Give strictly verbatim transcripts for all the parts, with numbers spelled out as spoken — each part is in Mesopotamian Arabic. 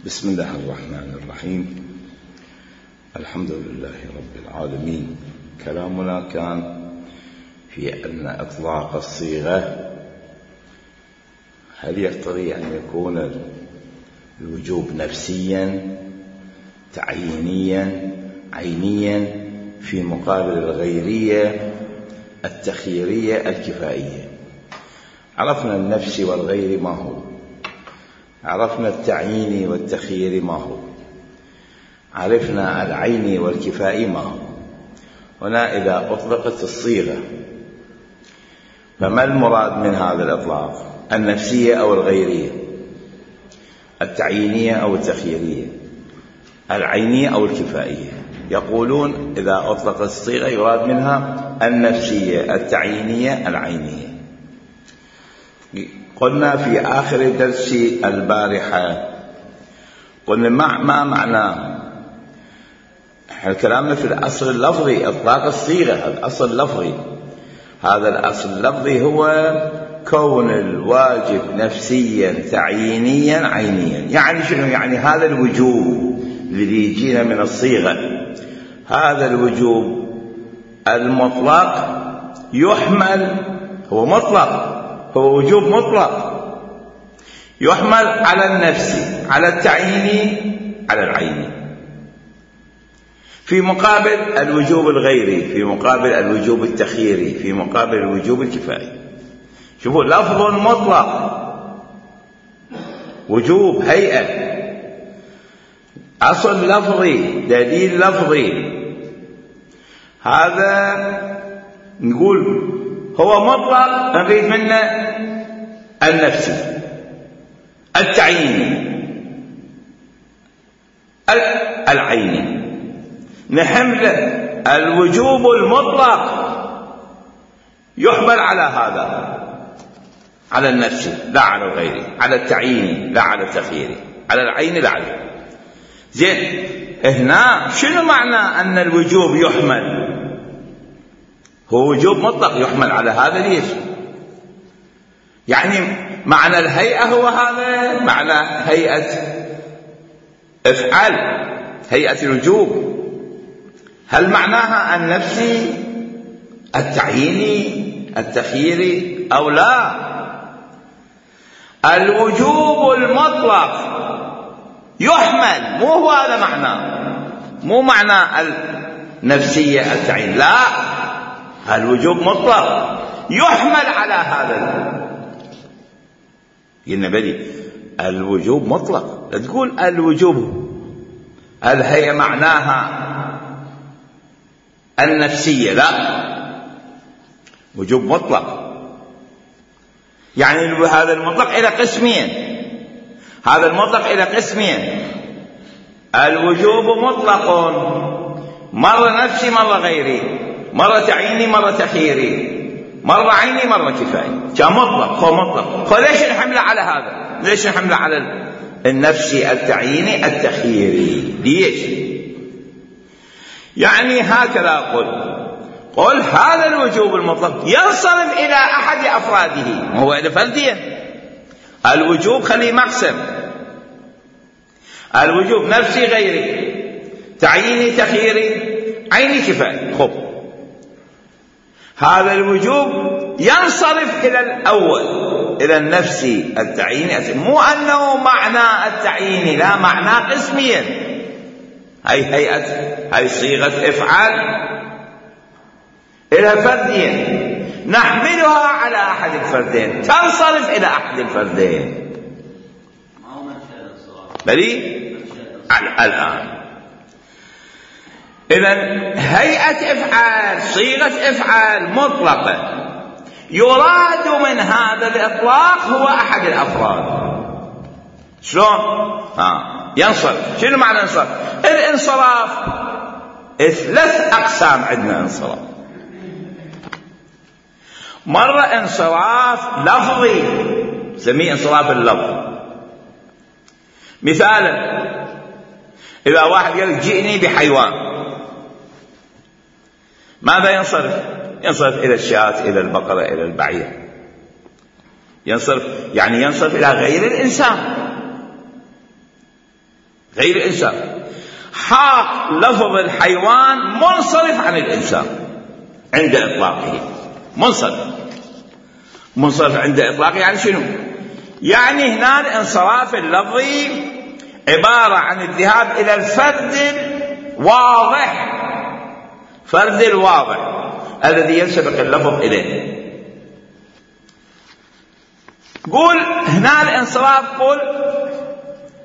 بسم الله الرحمن الرحيم. الحمد لله رب العالمين. كلامنا كان في أن إطلاق الصيغة هل يقتضي أن يكون الوجوب نفسيا تعيينيا عينيا في مقابل الغيرية التخييرية الكفائية. عرفنا النفسي والغير ما هو، عرفنا التعييني والتخييري ما هو، عرفنا العيني والكفائي ما هو. هنا إذا أطلقت الصيغة فما المراد من هذا الإطلاق؟ النفسية أو الغيرية، التعيينية أو التخييرية، العينية أو الكفائية؟ يقولون إذا أطلقت الصيغة يراد منها النفسية التعيينية العينية. قلنا في آخر درس البارحة قلنا ما معنى كلامنا في الأصل اللفظي إطلاق الصيغة، الأصل اللفظي. هذا الأصل اللفظي هو كون الواجب نفسيا تعيينيا عينيا. يعني شنو؟ يعني هذا الوجوب الذي يجينا من الصيغة، هذا الوجوب المطلق يحمل، هو مطلق، هو وجوب مطلق، يحمل على النفسي، على التعييني، على العيني، في مقابل الوجوب الغيري، في مقابل الوجوب التخييري، في مقابل الوجوب الكفائي. شوفوا، لفظ مطلق، وجوب هيئة، أصل لفظي، دليل لفظي. هذا نقول هو مطلق، نريد منه النفسي التعييني العيني، نحمل الوجوب المطلق يحمل على هذا، على النفسي لا على الغيري، على التعييني لا على التخييري، على العيني لا على. زين، هنا شنو معنى أن الوجوب يحمل؟ هو وجوب مطلق يحمل على هذا. ليش؟ يعني معنى الهيئة هو هذا، معنى هيئة افعل، هيئة الوجوب. هل معناها النفسي التعييني التخييري أو لا؟ الوجوب المطلق يحمل، مو هو هذا معناه، مو معنى النفسية التعيين، لا، الوجوب مطلق يحمل على هذا. قلنا بلي الوجوب مطلق، لا تقول الوجوب هل هي معناها النفسية، لا، وجوب مطلق. يعني هذا المطلق إلى قسمين، هذا المطلق إلى قسمين. الوجوب مطلق مرة نفسي مرة غيري، مرة تعييني مرة تخييري، مرة عيني مرة كفائي. كان مطلق، هو مطلق. فليش نحمله على هذا؟ ليش نحمله على النفسي التعييني التخييري؟ ليش؟ يعني هكذا قل قل هذا الوجوب المطلق ينصرف إلى أحد أفراده، هو إلى فردين. الوجوب خليه مقسم، الوجوب نفسي غيري، تعييني تخييري، عيني كفائي. خب، هذا الوجوب ينصرف إلى الأول، إلى النفسي التعييني، مو أنه معنى التعييني، لا، معنى قسميا. هاي هيئة، هاي صيغة افعال إلى فردين، نحملها على أحد الفردين، تنصرف إلى أحد الفردين. بلي الآن إذن هيئة افعال، صيغة افعال مطلقة، يراد من هذا الإطلاق هو أحد الأفراد. شلون؟ ها ينصرف. شنو معنى انصراف؟ الانصراف ثلاث أقسام عندنا انصراف. مرة انصراف لفظي، نسميه انصراف اللفظ. مثالا إذا واحد قال جئني بحيوان، ماذا ينصرف؟ ينصرف إلى الشاة، إلى البقرة، إلى البعير. ينصرف يعني ينصرف إلى غير الإنسان. غير الإنسان. حاق لفظ الحيوان منصرف عن الإنسان عند إطلاقه. منصرف منصرف عند إطلاقه يعني شنو؟ يعني هنا الانصراف اللفظي عبارة عن الذهاب إلى الفرد الواضح، فرد الواضح الذي ينسبق اللفظ إليه. قول هنا الانصراف، قول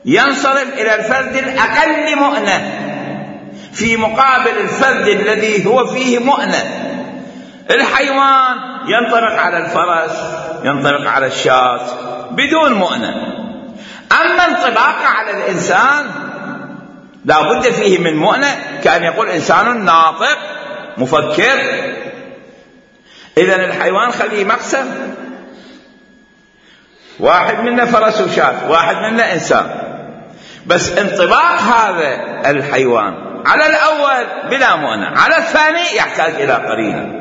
ينصرف إلى الفرد الأقل مؤنة في مقابل الفرد الذي هو فيه مؤنة. الحيوان ينطبق على الفرس، ينطبق على الشاة بدون مؤنة. أما انطباقه على الإنسان لا بد فيه من مؤنة، كأن يقول إنسان ناطق مفكر. إذن الحيوان خليه مقسم، واحد منا فرس وشاة، واحد منا إنسان، بس انطباق هذا الحيوان على الأول بلا مؤنة، على الثاني يحتاج إلى قرينة.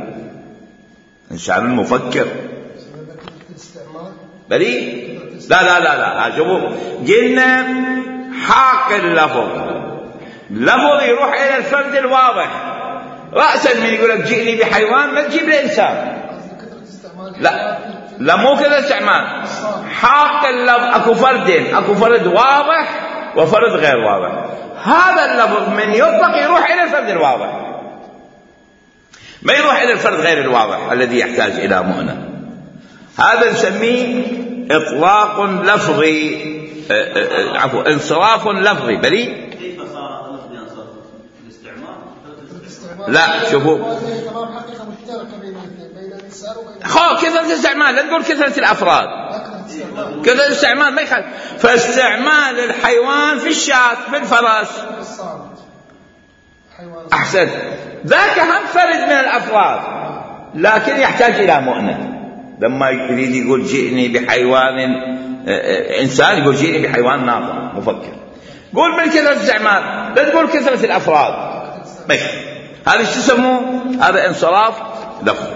إنسان مفكر بلي لا لا لا لا شوفوا، قلنا حاق اللفظ، اللفظ يروح إلى الفرد الواضح رأسا. من يقول لك جئني بحيوان ما تجيب لإنسان، لا لا مو كذا استعمال. حاق اللفظ أكو فردين، أكو فرد واضح وفرد غير واضح. هذا اللفظ من يطلق يروح إلى الفرد الواضح، ما يروح إلى الفرد غير الواضح الذي يحتاج إلى مؤنة. هذا نسميه إطلاق لفظي، عفوا انصراف لفظي. بلي كيف صار اللفظ ينصرف؟ الاستعمال؟ لا شوفوا، خو كثرة الاستعمال، لا تقول كثرة الأفراد، كثرة الاستعمال ما يخالف. فاستعمال الحيوان في الشاة، في الفرس، أحسن، ذاك هم فرد من الأفراد لكن يحتاج إلى مؤنة. لما يريد يقول جئني بحيوان إنسان، يقول جئني بحيوان ناطق مفكر. قول من كثرة الاستعمال، لا تقول كثرة الأفراد. هذا ايش تسموه؟ هذا انصراف لفظي.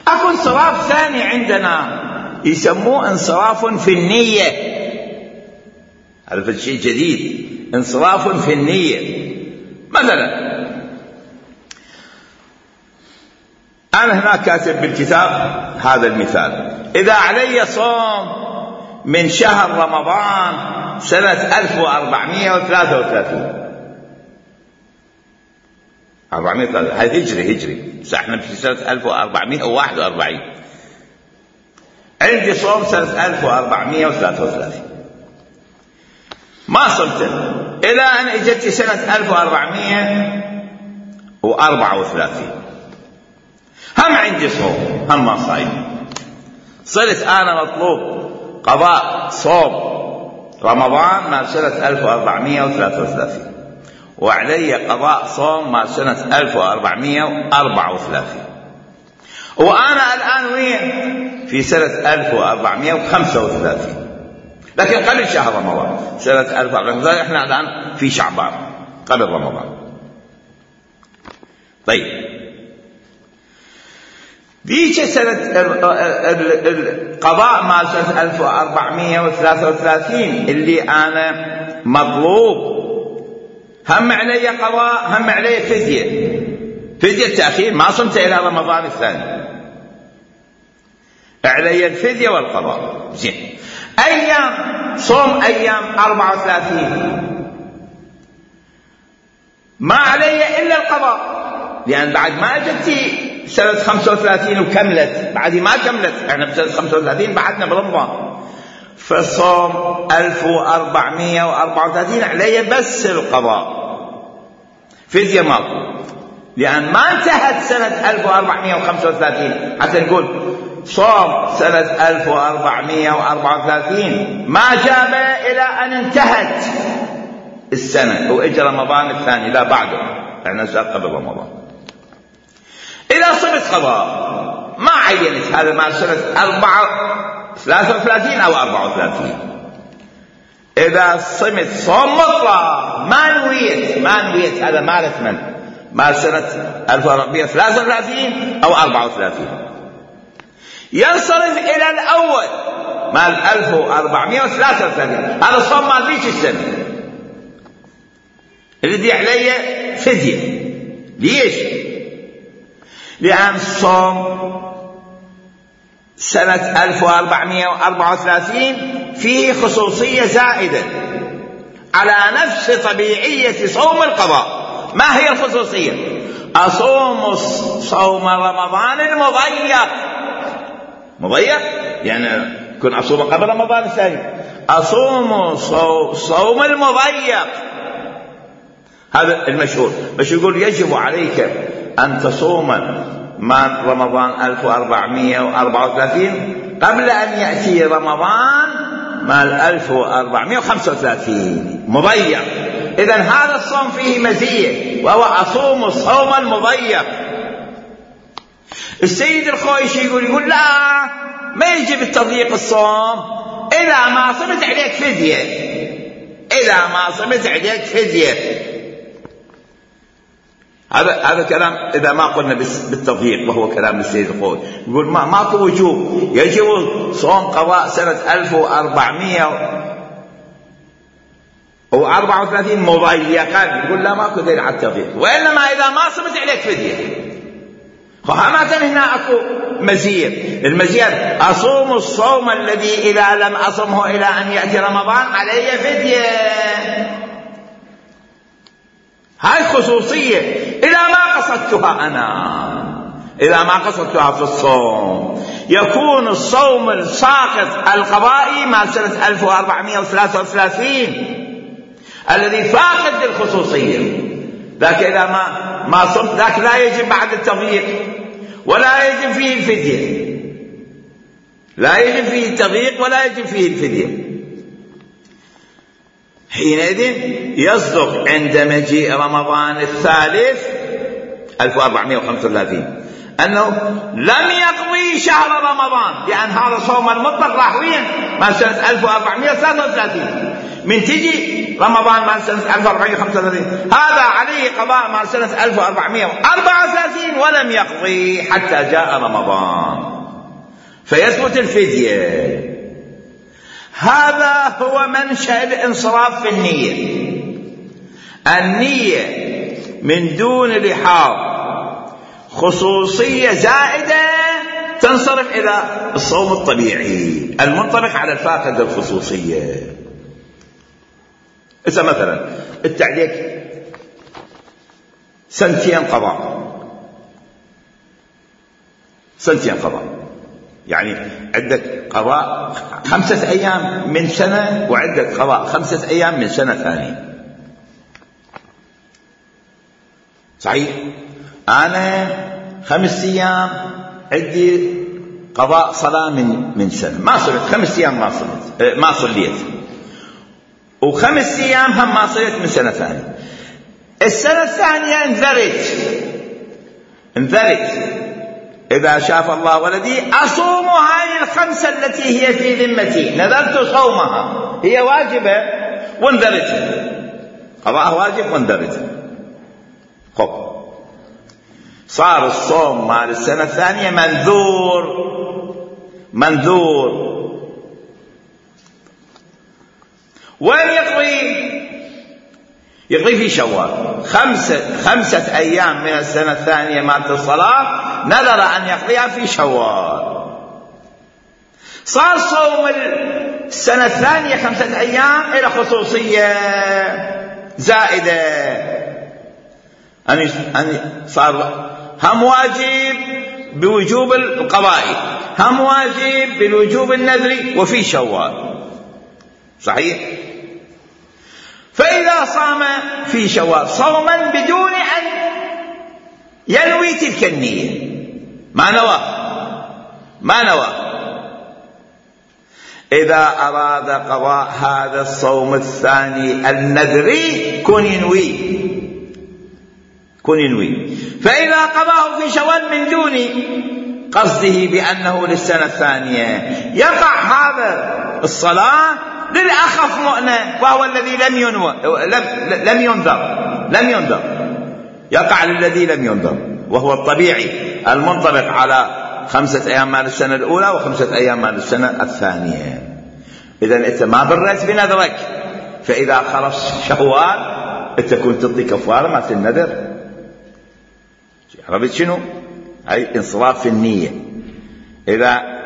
أكو انصراف ثاني عندنا يسموه انصراف في النية. هذا شيء جديد، انصراف في النية. مثلا أنا هنا كاتب بالكتاب هذا المثال: إذا علي صوم من شهر رمضان سنة ألف وأربعمائة وثلاثة وثلاثين، أربعمائة وثلاثة هذه هجري هجري بس احنا في سنة ألف وأربعمائة وواحد وأربعين. عندي صوم سنة ألف وأربعمائة وثلاثة وثلاثين، ما صمته إلى أن اجت سنة ألف وأربعمائة وأربعة وثلاثين، هم عندي صوم هم ما صايم. صرت أنا مطلوب قضاء صوم رمضان مع سنة ألف وأربعمائة وثلاثة وثلاثين، وعلي قضاء صوم مع سنة ألف وأربعمائة وأربعة وثلاثين، وأنا الآن وين؟ في سنة ألف وأربعمائة وخمسة وثلاثين، لكن قبل شهر رمضان سنة ألف وأربعمائة وخمسة وثلاثين. احنا الآن في شعبان قبل رمضان. طيب ذيك سنة القضاء مع سنة ألف وأربعمائة وثلاثة وثلاثين اللي أنا مطلوب هم علي قضاء هم علي فدية، فدية التأخير، ما صمت إلى رمضان الثاني، علي الفدية والقضاء. زين، أيام صوم أيام أربعة وثلاثين ما علي إلا القضاء، لأن بعد ما أجتي سنة خمسة وثلاثين وكملت، بعد ما كملت احنا بسنة خمسة وثلاثين بعدنا برمضان، فصوم ألف وأربعمائة وأربعة وثلاثين علي بس القضاء، فدية ماكو، لأن ما انتهت سنة ألف وأربعمائة وخمسة وثلاثين حتى نقول صوم سنة ألف وأربعمائة وأربعة وثلاثين ما جاب إلى أن انتهت السنة وإجى رمضان الثاني، لا بعده، احنا قبل رمضان. إذا صمت قضاء ما عينت هذا مع سنة أربعة ثلاثة وثلاثين أو أربعة وثلاثين، إذا صمت صوم مطلق ما نويت ما نويت هذا ما رثمن مع سنة ألف وأربعمائة وثلاثة وثلاثين أو أربعة وثلاثين، ينصرف إلى الأول مع ألف وأربعمائة وثلاثة وثلاثين، هذا صوم مال ذيك السنة، الذي علي فدية. ليش؟ لأن الصوم سنة ألف وأربعمائة وأربعة وثلاثين فيه خصوصية زائدة على نفس طبيعية صوم القضاء. ما هي الخصوصية؟ أصوم صوم رمضان المضيق. مضيق يعني كن أصوم قبل رمضان الثاني. أصوم صوم المضيق، هذا المشهور. مش يقول يجب عليك أن تصوم ما رمضان ألف وأربعمائة وأربعة وثلاثين قبل أن يأتي رمضان مال ألف وأربعمائة وخمسة وثلاثين مضيق. إذن هذا الصوم فيه مزية، وهو أصوم الصوم المضيق. السيد الخويشي يقول يقول لا، ما يجب التضييق الصوم إذا ما صمت عليك فدية. إذا ما صمت عليك فدية. هذا هذا كلام إذا ما قلنا بالتضييق، وهو كلام السيد الخوي. يقول ما ماكو وجوب، يجب صوم قضاء سنة ألف وأربعمائة وأربعة وثلاثين مضيقا. يقول لا، ماكو دليل على التضييق، وإنما إذا ما صمت عليك فدية. فهمت هنا أكو مزية. المزية أصوم الصوم الذي إذا لم أصمه إلى أن يأتي رمضان علي فدية. هاي خصوصية إذا ما قصدتها أنا، إذا ما قصدتها في الصوم. يكون الصوم الساقط القضائي مع سنة ألف وأربعمائة وثلاثة وثلاثين الذي فاقد للخصوصية، ذاك إذا ما ما صمت ذاك لا يجب بعد التضييق ولا يجب فيه الفدية. لا يجب فيه التضييق ولا يجب فيه الفدية. حينئذ يصدق عند مجيء رمضان الثالث ألف وأربعمائة وخمسة وثلاثين أنه لم يقضي شهر رمضان، لأن هذا صوم المطلق راح وين؟ مع سنة ألف وأربعمائة وثلاثة وثلاثين. من تجي رمضان مع سنة ألف وأربعمائة وخمسة وثلاثين هذا عليه قضاء مع سنة ألف وأربعمائة وأربعة وثلاثين ولم يقضي حتى جاء رمضان، فيثبت الفدية. هذا هو منشأ الانصراف في النية. النية من دون لحاظ خصوصية زائدة تنصرف إلى الصوم الطبيعي المنطبق على الفاقد الخصوصية. إذا مثلا التعليق سنتين قضاء، سنتين قضاء، يعني عندك قضاء خمسة أيام من سنة وعندك قضاء خمسة أيام من سنة ثانية. صحيح؟ أنا خمس أيام عندي قضاء صلاة من من سنة، ما صليت خمس أيام، ما صليت ما صليت وخمس أيام هم ما صليت من سنة ثانية. السنة الثانية انذرت انذرت إذا شاف الله ولدي أصوم هاي الخمسة التي هي في ذمتي، نذرت صومها، هي واجبة وانذرت، قضاء واجب وانذرت. خب صار الصوم مال السنة الثانية منذور منذور وين يقضي؟ يقضي في شوال. خمسة, خمسة أيام من السنة الثانية مالت الصلاة نذر أن يقضيها في شوال. صار صوم السنة الثانية خمسة أيام إلى خصوصية زائدة، أن صار هم واجب بوجوب القضاء، هم واجب بالوجوب النذري وفي شوال. صحيح؟ فإذا صام في شوال صوما بدون أن ينوي تلك النية، ما نوى ما نوى إذا أراد قضاء هذا الصوم الثاني النذري كن ينوي كن ينوي فإذا قضاه في شوال من دون قصده بأنه للسنة الثانية يقع هذا الصلاة للأخف مؤنة، وهو الذي لم ينوى لم, لم ينذر لم ينذر يقع للذي لم ينذر، وهو الطبيعي المنطبق على خمسة أيام مال السنة الأولى وخمسة أيام مال السنة الثانية. إذن أنت ما برت بنذرك، فإذا خلص شوال انت كنت تعطي كفاره مالت النذر. عرفت شنو؟ هاي انصراف في النيه. اذا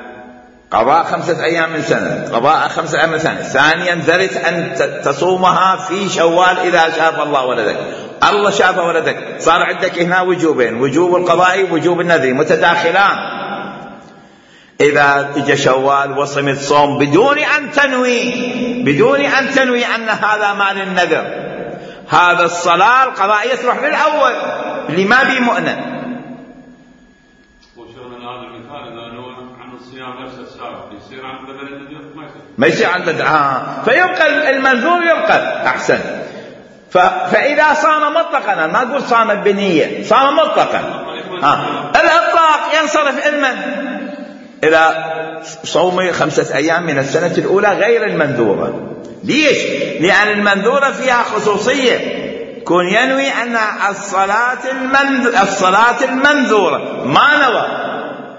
قضاء خمسه ايام من سنه، قضاء خمسه ايام من سنه، ثانيا ذرت ان تصومها في شوال اذا شاف الله ولدك، الله شاف ولدك، صار عندك هنا وجوبين، وجوب القضاء ووجوب النذر متداخلان. إذا اجى شوال وصمت صوم بدون أن تنوي بدون أن تنوي أن هذا مال النذر، هذا الصلاة القضائية تروح للأول اللي ما بي مؤنة. وشغل هذا المثال إذا نوى عن الصيام نفس السابق يصير عن بدل النذر ما يصير ما يصير عن بدل آه. فيبقى المنذور يبقى أحسن. ف... فإذا صام مطلقا، أنا ما أقول صام بنية، صام مطلقا آه. الإطلاق ينصرف علما إلى صوم خمسة أيام من السنة الأولى غير المنذورة. ليش؟ لأن المنذورة فيها خصوصية، كون ينوي أن الصلاة, المنذ... الصلاة المنذورة ما نوى،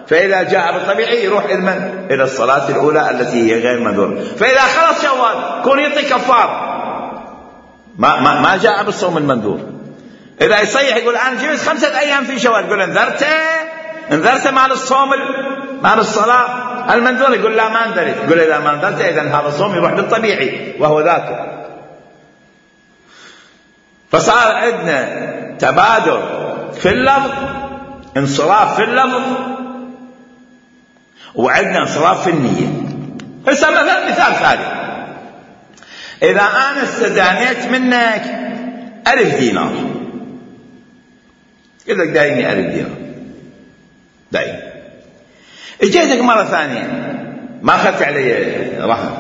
فإذا جاء بالطبيعي يروح المن... إلى الصلاة الأولى التي هي غير منذورة. فإذا خلص شوال كون يعطي كفار ما, ما... ما جاء بالصوم المنذور. إذا يصيح يقول أنا جبت خمسة أيام في شوال، يقول انذرت انذرت مال الصوم مال الصلاة المنذور، يقول لا ما انذرت، يقول إذا ما انذرت إذن هذا الصوم يروح بالطبيعي وهو ذاك. فصار عندنا تبادل في اللفظ، انصراف في اللفظ، وعندنا انصراف في النية. هسه مثلا مثال ثالث، إذا أنا استدانيت منك ألف دينار، قلت لك دايني ألف دينار، داين، اجيتك مرة ثانية ما أخذت علي رهن،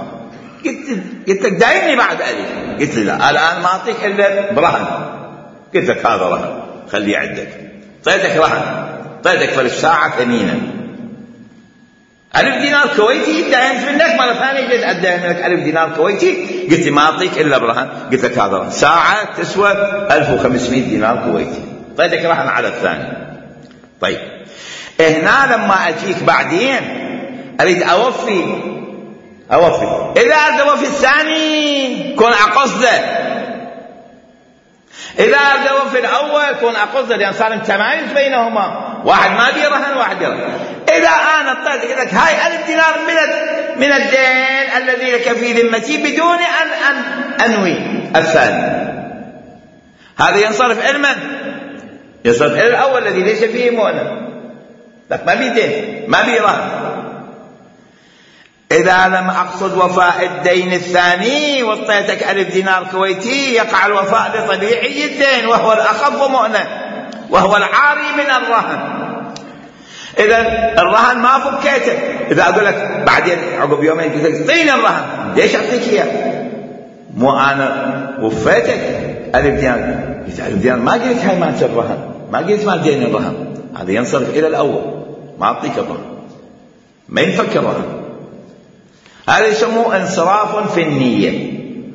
قلت قلت لك دايني بعد ألف، قلت لي لا الآن ما أعطيك إلا برهن، قلت لك هذا رهن خليه عندك، طيتك رهن، طيتك فلش ساعة ثمينة ألف دينار كويتي، داينت منك مرة ثانية جيت أدين منك ألف دينار كويتي، قلت لي ما أعطيك إلا برهن، قلت لك هذا رهن، ساعة تسوى ألف وخمسمائة دينار كويتي، طيتك رهن على الثاني. طيب هنا لما أجيك بعدين أريد أوفي أوفي إذا أريد أوفي الثاني كون أقصده، إذا أريد أوفي الأول كون أقصده، لأن صار تمايز بينهما، واحد ما بيرهن واحد يرهن. إذا أنا اضطريت أقول لك هاي ألف دينار من من الدين الذي لك في ذمتي بدون أن أن أنوي الثاني، هذا ينصرف علما، ينصرف إلى الأول الذي ليس فيه مؤنة، لك ما بيدين ما بيرهن. إذا لم أقصد وفاء الدين الثاني واعطيتك ألف دينار كويتي، يقع الوفاء بطبيعي الدين وهو الأخف مؤنة وهو العاري من الرهن. إذا الرهن ما فكيته، إذا أقول لك بعدين عقب يومين قلت لك اعطيني الرهن، ليش أعطيك إياه؟ مو أنا وفيتك ألف دينار، قلت ألف دينار ما قلت هاي مالت الرهن، ما قلت مال دين الرهن، هذا ينصرف إلى الأول، ما أعطيك الرهن، ما ينفك الرهن. هذا يسموه انصراف في النية.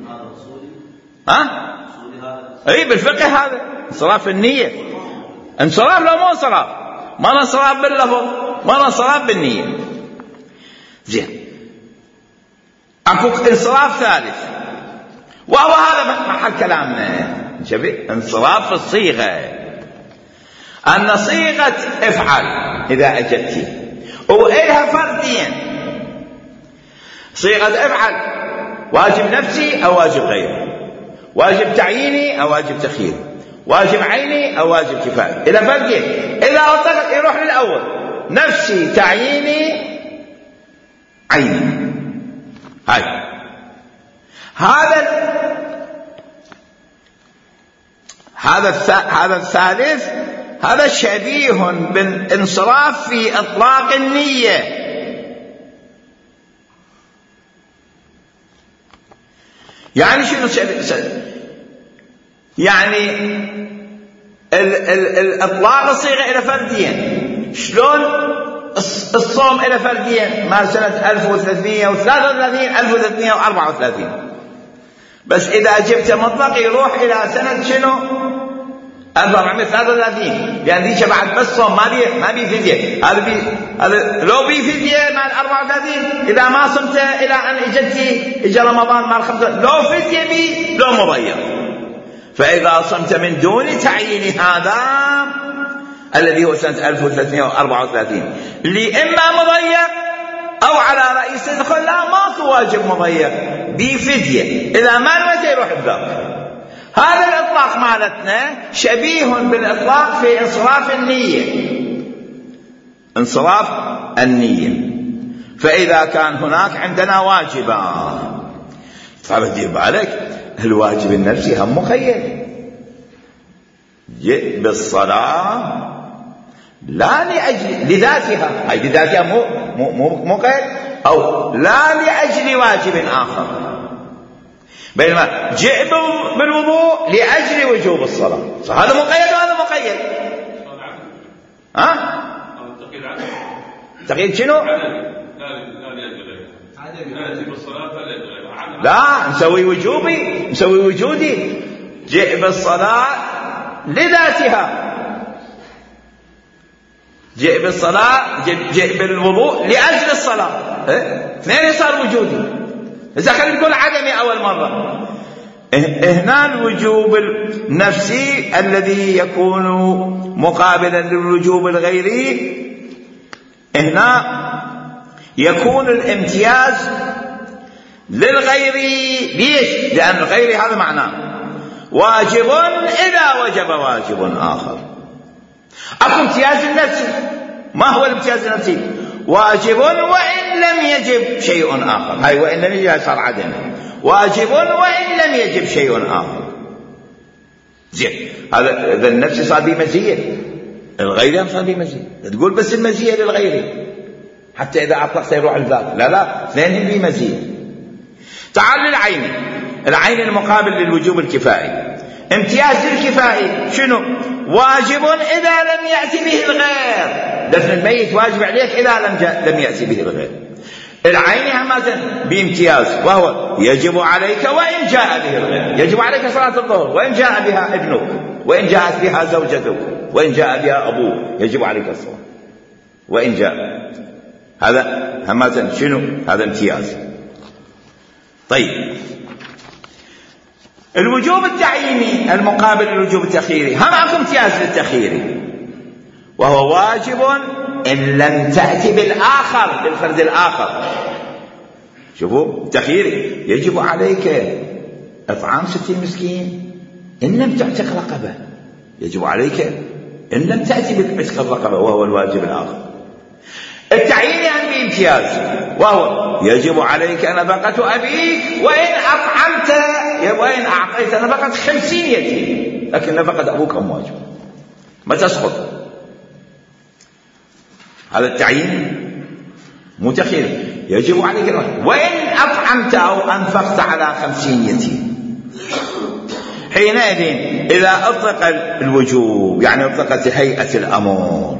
هذا أصولي؟ ها؟ أصولي هذا؟ أي بالفقه هذا انصراف في النية. انصراف لو مو انصراف، ما انصراف باللفظ، ما انصراف بالنية. زين، أكو انصراف ثالث وهو هذا محل كلامنا، شبيه انصراف في الصيغة، أن صيغة افعل إذا أجدتي وإلها فردين، صيغة افعل واجب نفسي أو واجب غيري، واجب تعييني أو واجب تخييري، واجب عيني أو واجب كفاية، إلى فردين، إذا أطلق يروح للأول، نفسي تعييني عيني. هاي هذا هذا هذا الثالث، هذا شبيه بالانصراف في إطلاق النية. يعني شنو يعني ال ال الإطلاق الصيغة إلى فردين، شلون الصوم إلى فردين مال سنة ألف وثلاثمائة وثلاثة وثلاثين ألف وثلاثمائة وأربعة وثلاثين، بس إذا جبت مطلق يروح إلى سنة شنو ألف وأربعمائة وثلاثة وثلاثين، لأن ذيك بعد بس صوم ما بي ما بي فدية، هذا بي هذا لو بي فدية مال أربعة وثلاثين إذا ما صمت إلى أن إجتي إجا رمضان مال خمسة، لو فدية بي لو مضيع. فإذا صمت من دون تعيين هذا الذي هو سنة ألف وثلاثمائة وأربعة وثلاثين اللي إما مضيق أو على رئيس الدخول، لا ماكو واجب مضيق بفدية، إذا ما نويت يروح بذاك. هذا الإطلاق مالتنا شبيه بالإطلاق في انصراف النية، انصراف النية. فإذا كان هناك عندنا واجبان، طبعا دير بالك الواجب النفسي هم مقيد، جئ بالصلاة لا لأجل لذاتها، هاي لذاتها مو مو مقيد، أو لا لأجل واجب آخر، بينما جئ بالوضوء لأجل وجوب الصلاة، هذا مقيد وهذا مقيد. ها؟ تقييد شنو؟ لا نسوي وجوبي، نسوي وجودي. جئ بالصلاة لذاتها، جئ بالصلاة، جئ بالوضوء لأجل الصلاة، اثنين صار وجودي. إذا خلينا نقول عدمي أول مرة، هنا الوجوب النفسي الذي يكون مقابلا للوجوب الغيري، هنا يكون الامتياز للغيري. ليش؟ لأن الغيري هذا معناه واجب إذا وجب واجب آخر. أكو امتياز النفسي، ما هو الامتياز النفسي؟ واجب وإن لم يجب شيء آخر، هاي وإن لم يجب صار عدم، واجب وإن لم يجب شيء آخر. زين، هذا إذا النفسي صار بمزية، الغيري صار بمزية. تقول بس المزية للغيري حتى إذا أطلقت يروح الذات، لا لا، اثنين بمزية. تعال للعين، العين المقابل للوجوب الكفائي. امتياز الكفائي شنو؟ واجب إذا لم يأتي به الغير، دفن الميت واجب عليك إذا لم لم يأتي به الغير. العين همازا بامتياز، وهو يجب عليك وإن جاء به الغير. يجب عليك صلاة الظهر وإن جاء بها ابنك، وإن جاءت بها زوجتك، وإن جاء بها أبوك، يجب عليك الصلاة وإن جاء. هذا همازا شنو؟ هذا امتياز. طيب، الوجوب التعييني المقابل للوجوب التخييري، هم اكو امتياز للتخييري، وهو واجب إن لم تأتي بالآخر، بالفرد الآخر. شوفوا التخييري، يجب عليك إطعام ستين مسكين إن لم تعتق رقبة، يجب عليك إن لم تأتي بعتق الرقبة، وهو الواجب الآخر. التعيين هم بامتياز، وهو يجب عليك نفقة أبيك وإن أطعمت، وإن أعطيت نفقة خمسين يتيم، لكن نفقة أبوك هم واجب ما تسقط. هذا التعيين مو تخيير، يجب عليك وإن أطعمت أو أنفقت على خمسين يتيم. حينئذ إذا أطلق الوجوب، يعني أطلقت هيئة الأمر،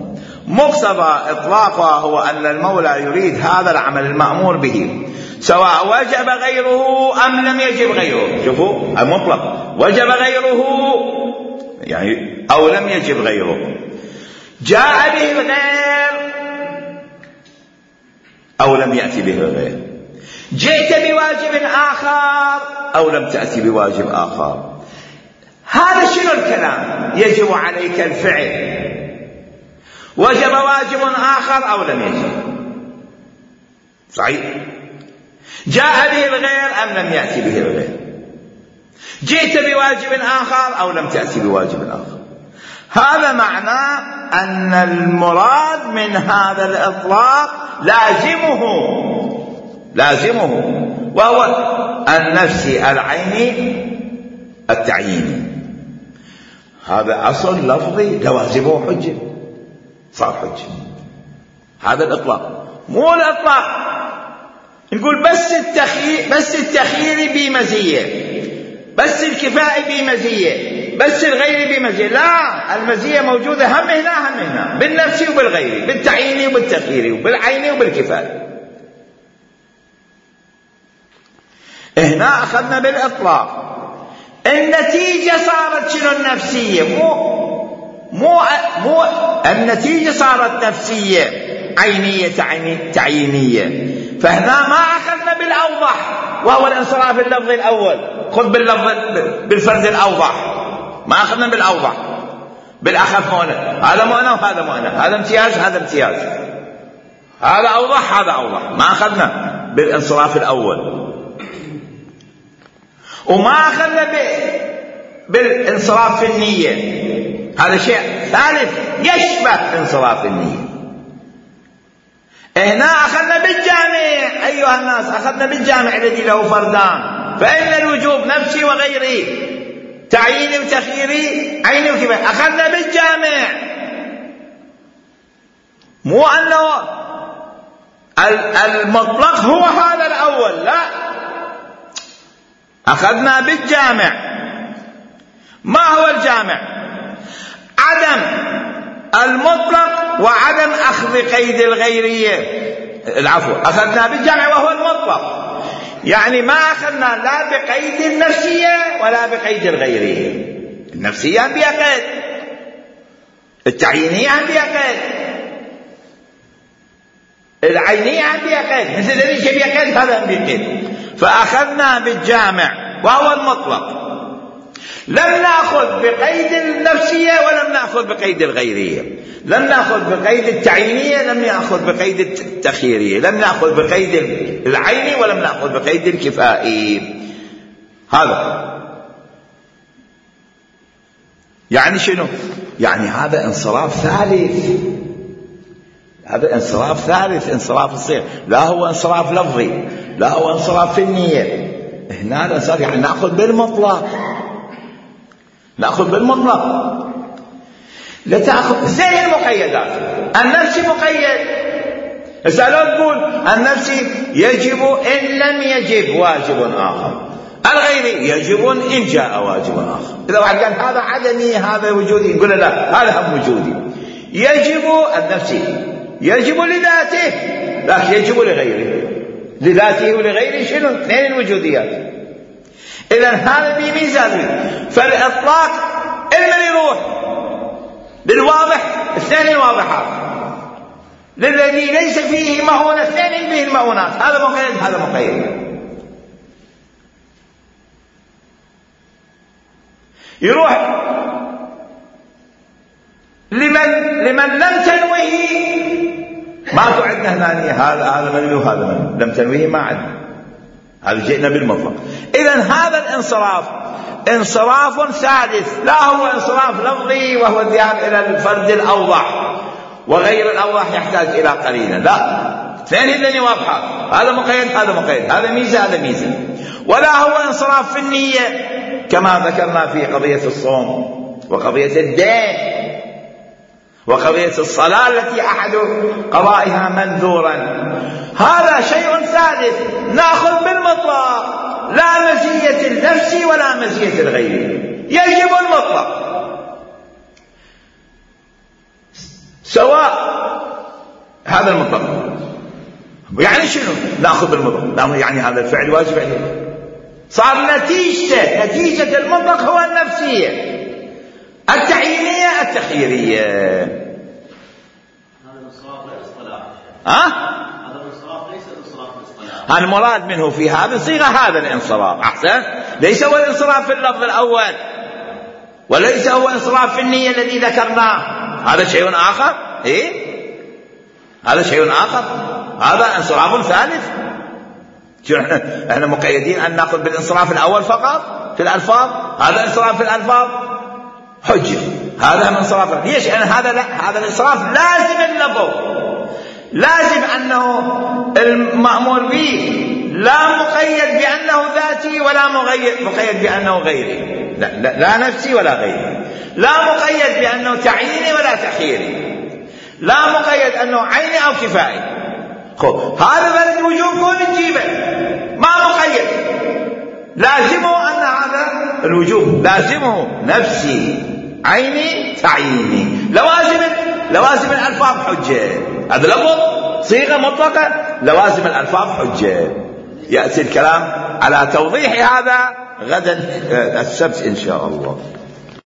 مقتضى إطلاقها هو أن المولى يريد هذا العمل المأمور به، سواء وجب غيره أم لم يجب غيره. شوفوا المطلق، وجب غيره يعني أو لم يجب غيره، جاء به الغير أو لم يأتي به الغير، جئت بواجب آخر أو لم تأتي بواجب آخر. هذا شنو الكلام؟ يجب عليك الفعل، وجب واجب آخر أو لم يجب، صحيح؟ جاء به الغير أم لم يأتي به الغير، جئت بواجب آخر أو لم تأتي بواجب آخر. هذا معنى أن المراد من هذا الإطلاق لازمه، لازمه وهو النفسي العيني التعييني. هذا أصل لفظي لوازمه حجة، صار حجة. هذا الإطلاق، مو الإطلاق نقول بس التخيير، بس التخيير بمزية، بس الكفاءة بمزية، بس الغير بمزية. لا، المزية موجودة هم هنا هم هنا، بالنفسي وبالغيري، بالتعييني وبالتخييري، وبالعيني وبالكفاءة. هنا أخذنا بالإطلاق، النتيجة صارت شنو؟ النفسية، مو مو مو النتيجة صارت نفسية عينية تعيينية. فهنا ما أخذنا بالأوضح، وهو الانصراف اللفظي الأول، خذ باللفظ بالفرد الأوضح، ما أخذنا بالأوضح بالأخف مؤنث، هذا مؤنث وهذا مؤنث، هذا امتياز هذا امتياز، هذا أوضح هذا أوضح، ما أخذنا بالانصراف الأول. وما أخذنا بالانصراف في النية، هذا شيء ثالث يشبه انصراف النية. هنا أخذنا بالجامع أيها الناس، أخذنا بالجامع الذي له فردان، فإن الوجوب نفسي وغيري، تعييني وتخييري، عيني وكفاية، أخذنا بالجامع، مو أنه المطلق هو هذا الأول، لا، أخذنا بالجامع. ما هو الجامع؟ عدم المطلق وعدم أخذ قيد الغيرية، العفو، أخذنا بالجامع وهو المطلق، يعني ما أخذنا لا بقيد النفسية ولا بقيد الغيرية. النفسية هم بها قيد، التعيينية هم بها قيد، العينية هم بها قيد، مثل الذي بها قيد هذا هم بها قيد. فأخذنا بالجامع وهو المطلق، لم نأخذ بقيد النفسية ولم نأخذ بقيد الغيرية، لم نأخذ بقيد التعيينية، لم نأخذ بقيد التخييرية، لم نأخذ بقيد العيني ولم نأخذ بقيد الكفائي. هذا يعني شنو؟ يعني هذا انصراف ثالث، هذا انصراف ثالث، انصراف الصيغ، لا هو انصراف لفظي، لا هو انصراف في النية. هنا الانصراف يعني نأخذ بالمطلق، نأخذ بالمطلق، لا تأخذ زي المقيدات. النفسي مقيد، هسه لو تقول النفسي يجب إن لم يجب واجب آخر، الغيري يجب إن جاء واجب آخر. إذا واحد قال هذا عدمي هذا وجودي، نقول لا، هذا هم وجودي. يجب النفسي يجب لذاته، لكن يجب لغيره، لذاته ولغيره شنو؟ اثنين الوجوديات. إذا هذا بميزان، فالإطلاق إما يروح للواضح اثنين الواضحات، للذي ليس فيه مؤونة اثنين به المؤونات، هذا مقيد هذا مقيد. يروح لمن لمن لم تنويه، ما تعدنا هنا هذا هذا منوي وهذا منوي، لم تنويه ما عدنا، هذا جئنا بالمطلق. إذن هذا الانصراف انصراف ثالث، لا هو انصراف لفظي وهو الذهاب إلى الفرد الأوضح، وغير الأوضح يحتاج إلى قرينة، لا، اثنين هذين واضحات، هذا مقيد هذا مقيد، هذا ميزة هذا ميزة. ولا هو انصراف في النية كما ذكرنا في قضية الصوم وقضية الدين وقضية الصلاة التي أحد قضائها منذورا، هذا شيء ثالث نأخذ بالمطلق، لا مزية النفس ولا مزية الغير، يجب المطلق، سواء هذا المطلق. يعني شنو نأخذ بالمطلق؟ يعني هذا الفعل واجب عليه، صار نتيجة نتيجة المطلق هو النفسية التعيينية التخييرية. هذا الانصراف لا اصطلاح. ها؟ هذا الانصراف ليس انصراف الاصطلاح. المراد منه في هذه الصيغة هذا الانصراف، أحسن، ليس هو الانصراف في اللفظ الأول، وليس هو انصراف في النية الذي ذكرناه، هذا شيء آخر. إيه؟ هذا شيء آخر، هذا انصراف ثالث. شو احنا احنا مقيدين أن نأخذ بالانصراف الأول فقط في الألفاظ، هذا انصراف في الألفاظ حجة، هذا من انصراف. ليش؟ لأن هذا لا، هذا الانصراف لازم اللفظ، لازم أنه المأمور به لا مقيد بأنه ذاتي ولا مقيد بأنه غيري، لا, لا, لا نفسي ولا غيري، لا مقيد بأنه تعييني ولا تخييري، لا مقيد أنه عيني أو كفائي. خب هذا بلد الوجوب كون تجيبه، ما مقيد، لازمه أن هذا الوجوب لازمه نفسي عيني تعييني، لوازم لوازم الألفاظ حجة، هذا لفظ صيغة مطلقة، لوازم الألفاظ حجة. يأتي الكلام على توضيح هذا غدا السبت إن شاء الله.